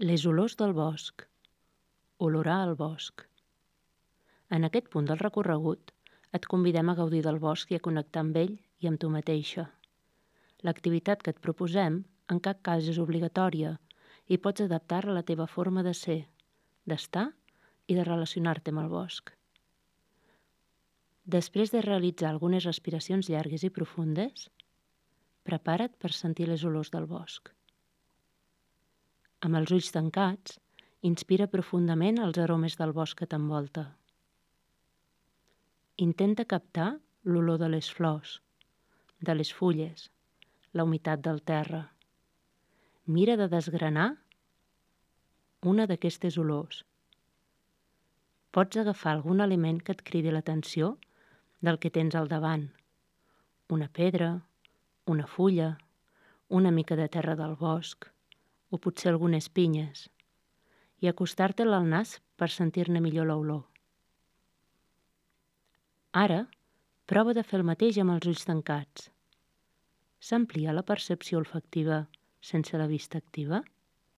Les olors del bosc. Olorar el bosc. En aquest punt del recorregut et convidem a gaudir del bosc i a connectar amb ell i amb tu mateixa. L'activitat que et proposem en cap cas és obligatòria i pots adaptar-la a la teva forma de ser, d'estar i de relacionar-te amb el bosc. Després de realitzar algunes respiracions llargues i profundes, prepara't per sentir les olors del bosc. Amb els ulls tancats, inspira profundament els aromes del bosc que t'envolta. Intenta captar l'olor de les flors, de les fulles, la humitat del terra. Mira de desgranar una d'aquestes olors. Pots agafar algun element que et cridi l'atenció del que tens al davant. Una pedra, una fulla, una mica de terra del bosc, o potser algunes pinyes, i acostar-te'l al nas per sentir-ne millor l'olor. Ara, prova de fer el mateix amb els ulls tancats. S'amplia la percepció olfactiva sense la vista activa?